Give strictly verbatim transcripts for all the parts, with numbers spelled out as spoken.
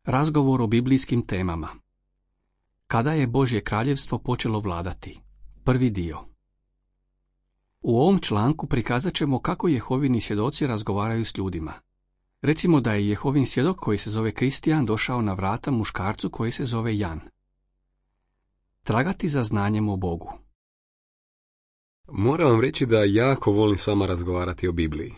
Razgovor o biblijskim temama. Kada je Božje kraljevstvo počelo vladati? Prvi dio. U ovom članku prikazat ćemo kako Jehovini svjedoci razgovaraju s ljudima. Recimo da je Jehovin svjedok koji se zove Kristijan došao na vrata muškarcu koji se zove Jan. Tragati za znanjem o Bogu. Moram vam reći da jako volim s vama razgovarati o Bibliji.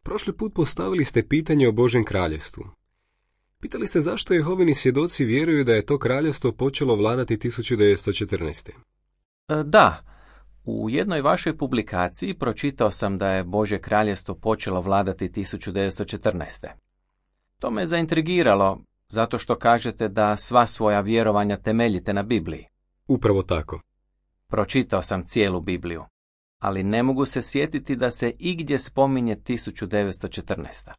Prošli put postavili ste pitanje o Božjem kraljevstvu. Pitali ste zašto Jehovini svjedoci vjeruju da je to kraljevstvo počelo vladati tisuću devetsto četrnaeste. Da, u jednoj vašoj publikaciji pročitao sam da je Božje kraljevstvo počelo vladati tisuću devetsto četrnaeste. To me zaintrigiralo, zato što kažete da sva svoja vjerovanja temeljite na Bibliji. Upravo tako. Pročitao sam cijelu Bibliju, ali ne mogu se sjetiti da se igdje spominje tisuću devetsto četrnaesta.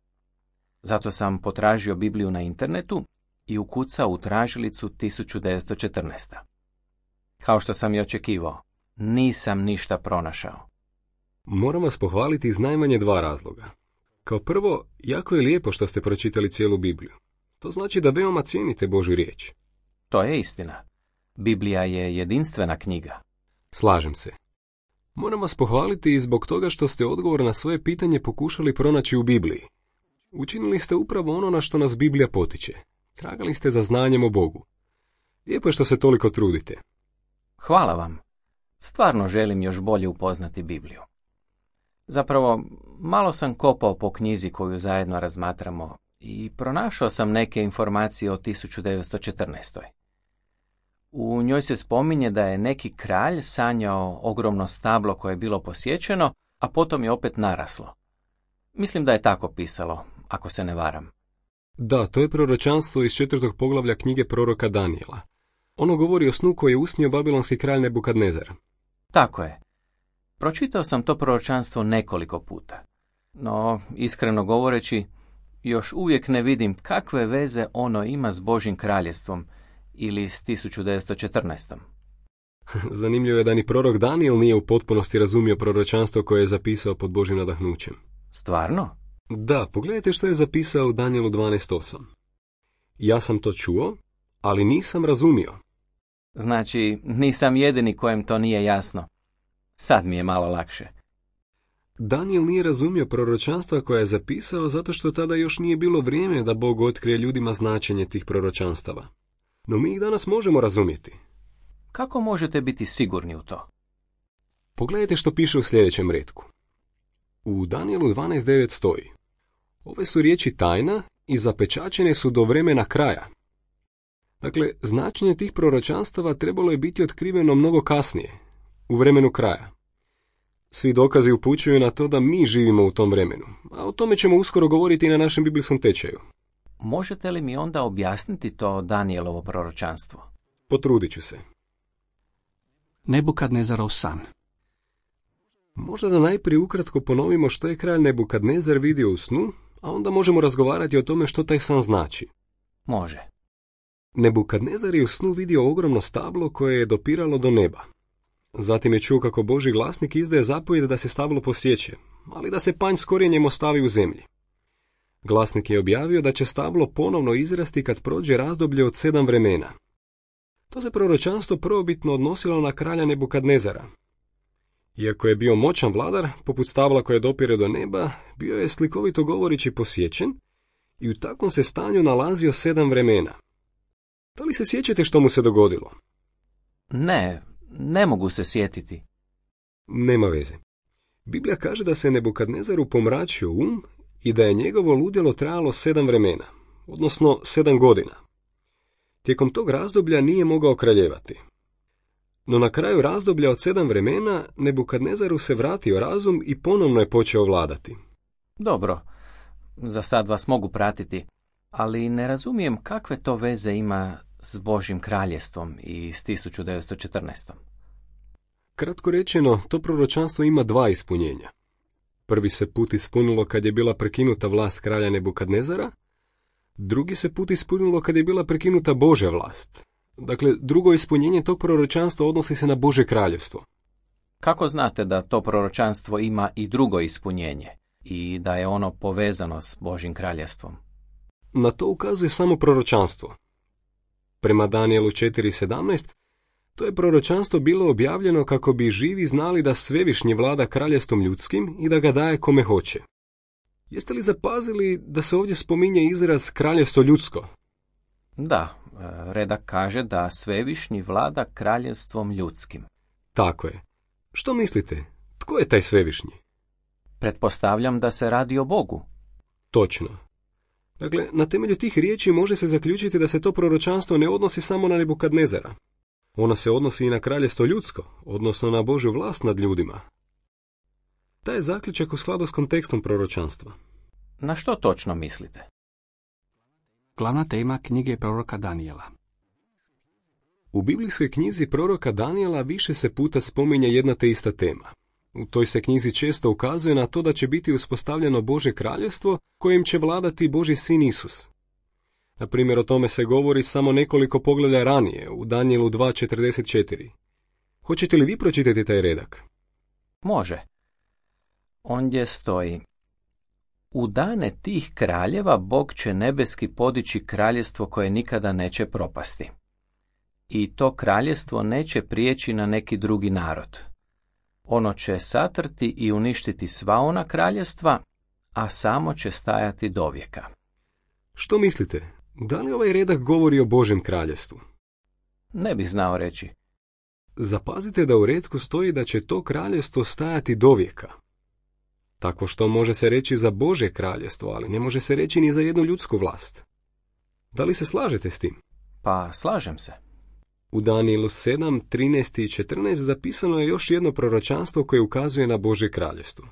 Zato sam potražio Bibliju na internetu i ukucao u tražilicu tisuću devetsto četrnaesta. Kao što sam i očekivao, nisam ništa pronašao. Moram vas pohvaliti iz najmanje dva razloga. Kao prvo, jako je lijepo što ste pročitali cijelu Bibliju. To znači da veoma cijenite Božju riječ. To je istina. Biblija je jedinstvena knjiga. Slažem se. Moram vas pohvaliti i zbog toga što ste odgovor na svoje pitanje pokušali pronaći u Bibliji. Učinili ste upravo ono na što nas Biblija potiče. Tragali ste za znanjem o Bogu. Lijepo je što se toliko trudite. Hvala vam. Stvarno želim još bolje upoznati Bibliju. Zapravo, malo sam kopao po knjizi koju zajedno razmatramo i pronašao sam neke informacije o tisuću devetsto četrnaestoj. U njoj se spominje da je neki kralj sanjao ogromno stablo koje je bilo posjećeno, a potom je opet naraslo. Mislim da je tako pisalo, ako se ne varam. Da, to je proročanstvo iz četvrtog poglavlja knjige proroka Danijela. Ono govori o snu koji je usnio babilonski kralj Nebukadnezar. Tako je. Pročitao sam to proročanstvo nekoliko puta. No, iskreno govoreći, još uvijek ne vidim kakve veze ono ima s Božjim kraljevstvom ili s tisuću devetsto četrnaestom. Zanimljivo je da ni prorok Danijel nije u potpunosti razumio proročanstvo koje je zapisao pod Božjim nadahnućem. Stvarno? Da, pogledajte što je zapisao u Danijelu dvanaest osam. Ja sam to čuo, ali nisam razumio. Znači, nisam jedini kojem to nije jasno. Sad mi je malo lakše. Danijel nije razumio proročanstva koja je zapisao zato što tada još nije bilo vrijeme da Bog otkrije ljudima značenje tih proročanstava. No mi ih danas možemo razumjeti. Kako možete biti sigurni u to? Pogledajte što piše u sljedećem retku. U Danijelu dvanaest devet stoji: ove su riječi tajna i zapečaćene su do vremena kraja. Dakle, značenje tih proročanstava trebalo je biti otkriveno mnogo kasnije, u vremenu kraja. Svi dokazi upućuju na to da mi živimo u tom vremenu, a o tome ćemo uskoro govoriti i na našem biblijskom tečaju. Možete li mi onda objasniti to Danijelovo proročanstvo? Potrudit ću se. Nebukadnezarov san. Možda da najprije ukratko ponovimo što je kralj Nebukadnezar vidio u snu, a onda možemo razgovarati o tome što taj san znači. Može. Nebukadnezar je u snu vidio ogromno stablo koje je dopiralo do neba. Zatim je čuo kako Božji glasnik izdaje zapovjed da se stablo posjeće, ali da se panj s korijenjem ostavi u zemlji. Glasnik je objavio da će stablo ponovno izrasti kad prođe razdoblje od sedam vremena. To se proročanstvo prvobitno odnosilo na kralja Nebukadnezara. Iako je bio moćan vladar, poput stabla koje dopire do neba, bio je slikovito govorići posjećen i u takvom se stanju nalazio sedam vremena. Da li se sjećate što mu se dogodilo? Ne, ne mogu se sjetiti. Nema veze. Biblija kaže da se Nebukadnezaru pomračio um i da je njegovo ludilo trajalo sedam vremena, odnosno sedam godina. Tijekom tog razdoblja nije mogao kraljevati. No na kraju razdoblja od sedam vremena Nebukadnezaru se vratio razum i ponovno je počeo vladati. Dobro, za sad vas mogu pratiti, ali ne razumijem kakve to veze ima s Božjim kraljevstvom i s tisuću devetsto četrnaestom. Kratko rečeno, to proročanstvo ima dva ispunjenja. Prvi se put ispunilo kad je bila prekinuta vlast kralja Nebukadnezara, drugi se put ispunilo kad je bila prekinuta Božja vlast. Dakle, drugo ispunjenje tog proročanstva odnosi se na Božje kraljevstvo. Kako znate da to proročanstvo ima i drugo ispunjenje i da je ono povezano s Božjim kraljevstvom? Na to ukazuje samo proročanstvo. Prema Danijelu četiri sedamnaest, to je proročanstvo bilo objavljeno kako bi živi znali da Svevišnji vlada kraljevstvom ljudskim i da ga daje kome hoće. Jeste li zapazili da se ovdje spominje izraz kraljevstvo ljudsko? Da, redak kaže da Svevišnji vlada kraljevstvom ljudskim. Tako je. Što mislite? Tko je taj Svevišnji? Pretpostavljam da se radi o Bogu. Točno. Dakle, na temelju tih riječi može se zaključiti da se to proročanstvo ne odnosi samo na Nebukadnezara. Ono se odnosi i na kraljevstvo ljudsko, odnosno na Božju vlast nad ljudima. Taj je zaključak u skladu s kontekstom proročanstva. Na što točno mislite? Glavna tema knjige proroka Danijela. U biblijskoj knjizi proroka Danijela više se puta spominje jedna te ista tema. U toj se knjizi često ukazuje na to da će biti uspostavljeno Božje kraljevstvo kojim će vladati Božji sin Isus. Na primjer, o tome se govori samo nekoliko poglavlja ranije, u Danijelu dva četrdeset četiri. Hoćete li vi pročitati taj redak? Može. Ondje stoji: U dane tih kraljeva Bog će nebeski podići kraljevstvo koje nikada neće propasti. I to kraljevstvo neće prijeći na neki drugi narod. Ono će satrti i uništiti sva ona kraljevstva, a samo će stajati dovijeka. Što mislite? Da li ovaj redak govori o Božjem kraljevstvu? Ne bih znao reći. Zapazite da u retku stoji da će to kraljevstvo stajati dovijeka. Tako što može se reći za Božje kraljevstvo, ali ne može se reći ni za jednu ljudsku vlast. Da li se slažete s tim? Pa, slažem se. U Danijelu sedam, trinaest i četrnaest zapisano je još jedno proročanstvo koje ukazuje na Božje kraljevstvo.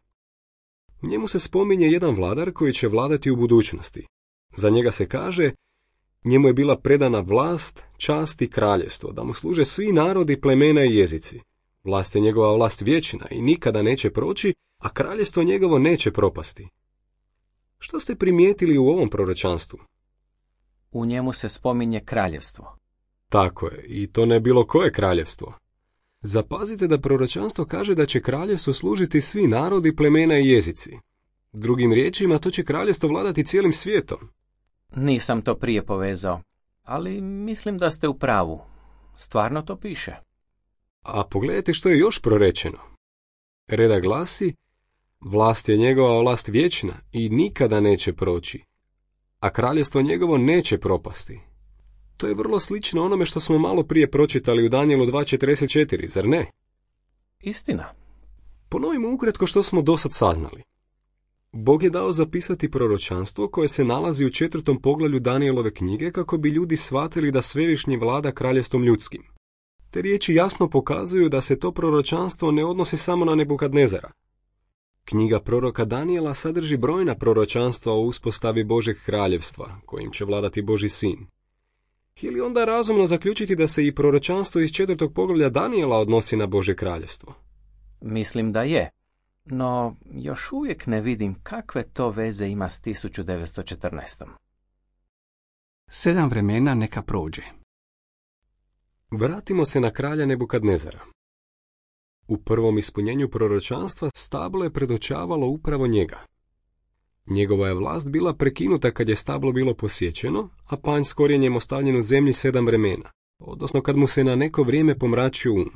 U njemu se spominje jedan vladar koji će vladati u budućnosti. Za njega se kaže: njemu je bila predana vlast, čast i kraljevstvo, da mu služe svi narodi, plemena i jezici. Vlast je njegova vlast vječna i nikada neće proći, a kraljevstvo njegovo neće propasti. Što ste primijetili u ovom proročanstvu? U njemu se spominje kraljevstvo. Tako je, i to ne bilo koje kraljevstvo. Zapazite da proročanstvo kaže da će kraljevstvo služiti svi narodi, plemena i jezici. Drugim riječima, to će kraljevstvo vladati cijelim svijetom. Nisam to prije povezao, ali mislim da ste u pravu. Stvarno to piše. A pogledajte što je još prorečeno. Redak glasi: vlast je njegova vlast vječna i nikada neće proći, a kraljevstvo njegovo neće propasti. To je vrlo slično onome što smo malo prije pročitali u Danijelu dva četrdeset četiri, zar ne? Istina. Ponovimo ukratko što smo dosad saznali. Bog je dao zapisati proročanstvo koje se nalazi u četvrtom poglavlju Danijelove knjige kako bi ljudi shvatili da Svevišnji vlada kraljevstvom ljudskim. Te riječi jasno pokazuju da se to proročanstvo ne odnosi samo na Nebukadnezara. Knjiga proroka Danijela sadrži brojna proročanstva o uspostavi Božeg kraljevstva, kojim će vladati Božji sin. Ili onda razumno zaključiti da se i proročanstvo iz četvrtog poglavlja Danijela odnosi na Božje kraljevstvo? Mislim da je, no još uvijek ne vidim kakve to veze ima s tisuću devetsto četrnaest. Sedam vremena neka prođe. Vratimo se na kralja Nebukadnezara. U prvom ispunjenju proročanstva stablo je predočavalo upravo njega. Njegova je vlast bila prekinuta kad je stablo bilo posjećeno, a panj s korijenjem ostavljen u zemlji sedam vremena, odnosno kad mu se na neko vrijeme pomračio um.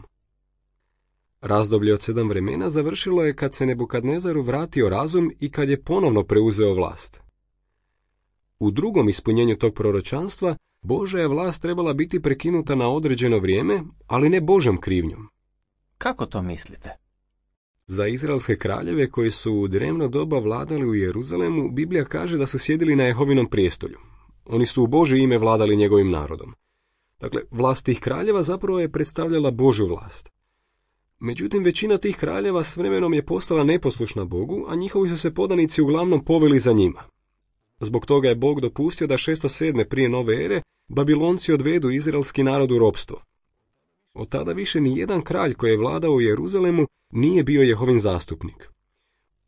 Razdoblje od sedam vremena završilo je kad se Nebukadnezaru vratio razum i kad je ponovno preuzeo vlast. U drugom ispunjenju tog proročanstva Božja je vlast trebala biti prekinuta na određeno vrijeme, ali ne Božjom krivnjom. Kako to mislite? Za izraelske kraljeve koji su u drevno doba vladali u Jeruzalemu, Biblija kaže da su sjedili na Jehovinom prijestolju. Oni su u Božje ime vladali njegovim narodom. Dakle, vlast tih kraljeva zapravo je predstavljala Božju vlast. Međutim, većina tih kraljeva s vremenom je postala neposlušna Bogu, a njihovi su se podanici uglavnom poveli za njima. Zbog toga je Bog dopustio da šesto sedme prije nove ere Babilonci odvedu izraelski narod u ropstvo. Od tada više ni jedan kralj koji je vladao u Jeruzalemu nije bio Jehovin zastupnik.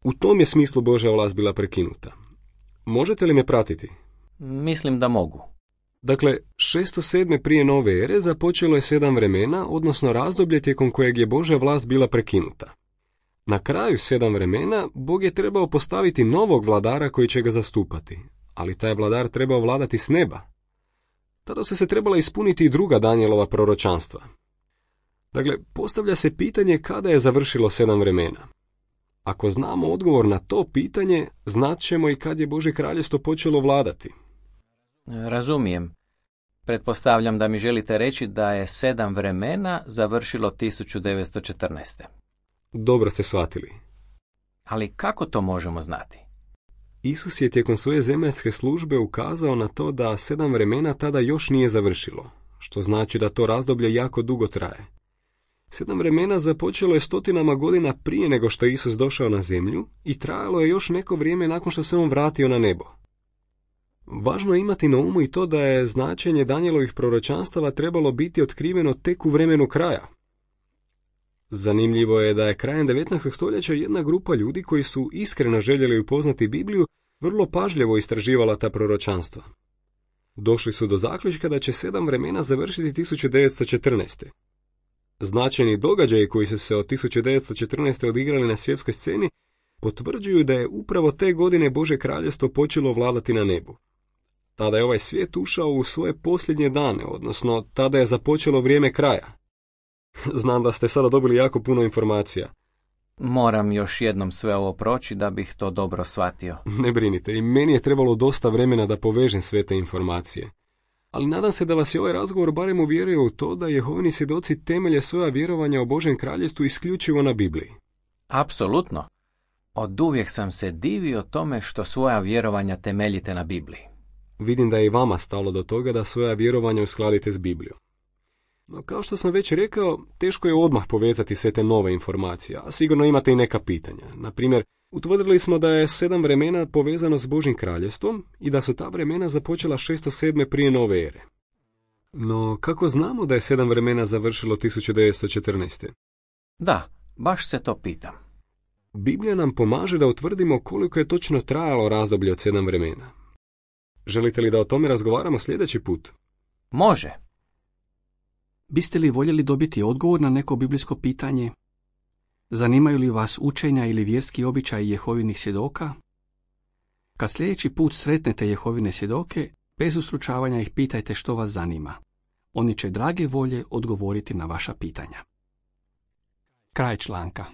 U tom je smislu Božja vlast bila prekinuta. Možete li me pratiti? Mislim da mogu. Dakle, šesto sedme prije nove ere započelo je sedam vremena, odnosno razdoblje tijekom kojeg je Božja vlast bila prekinuta. Na kraju sedam vremena Bog je trebao postaviti novog vladara koji će ga zastupati, ali taj vladar trebao vladati s neba. Tada su se trebala ispuniti i druga Danijelova proročanstva. Dakle, postavlja se pitanje kada je završilo sedam vremena. Ako znamo odgovor na to pitanje, znat ćemo i kad je Božje kraljevstvo počelo vladati. Razumijem. Pretpostavljam da mi želite reći da je sedam vremena završilo tisuću devetsto četrnaeste. Dobro ste shvatili. Ali kako to možemo znati? Isus je tijekom svoje zemaljske službe ukazao na to da sedam vremena tada još nije završilo, što znači da to razdoblje jako dugo traje. Sedam vremena započelo je stotinama godina prije nego što je Isus došao na zemlju i trajalo je još neko vrijeme nakon što se on vratio na nebo. Važno je imati na umu i to da je značenje Danijelovih proročanstava trebalo biti otkriveno tek u vremenu kraja. Zanimljivo je da je krajem devetnaestog stoljeća jedna grupa ljudi koji su iskreno željeli upoznati Bibliju vrlo pažljivo istraživala ta proročanstva. Došli su do zaključka da će sedam vremena završiti tisuću devetsto četrnaeste. Značajni događaji koji su se od tisuću devetsto četrnaeste odigrali na svjetskoj sceni potvrđuju da je upravo te godine Božje kraljevstvo počelo vladati na nebu. Tada je ovaj svijet ušao u svoje posljednje dane, odnosno tada je započelo vrijeme kraja. Znam da ste sada dobili jako puno informacija. Moram još jednom sve ovo proći da bih to dobro shvatio. Ne brinite, i meni je trebalo dosta vremena da povežem sve te informacije. Ali nadam se da vas je ovaj razgovor barem uvjerio u to da Jehovini svjedoci temelje svoja vjerovanja o Božjem kraljevstvu isključivo na Bibliji. Apsolutno. Oduvijek sam se divio tome što svoja vjerovanja temeljite na Bibliji. Vidim da je i vama stalo do toga da svoja vjerovanja uskladite s Biblijom. No, kao što sam već rekao, teško je odmah povezati sve te nove informacije, a sigurno imate i neka pitanja. Na primjer, utvrdili smo da je sedam vremena povezano s Božjim kraljevstvom i da su ta vremena započela šesto sedme prije nove ere. No, kako znamo da je sedam vremena završilo tisuću devetsto četrnaeste? Da, baš se to pitam. Biblija nam pomaže da utvrdimo koliko je točno trajalo razdoblje od sedam vremena. Želite li da o tome razgovaramo sljedeći put? Može. Biste li voljeli dobiti odgovor na neko biblijsko pitanje? Zanimaju li vas učenja ili vjerski običaji Jehovinih svjedoka? Kad sljedeći put sretnete Jehovine svjedoke, bez ustručavanja ih pitajte što vas zanima. Oni će drage volje odgovoriti na vaša pitanja. Kraj članka.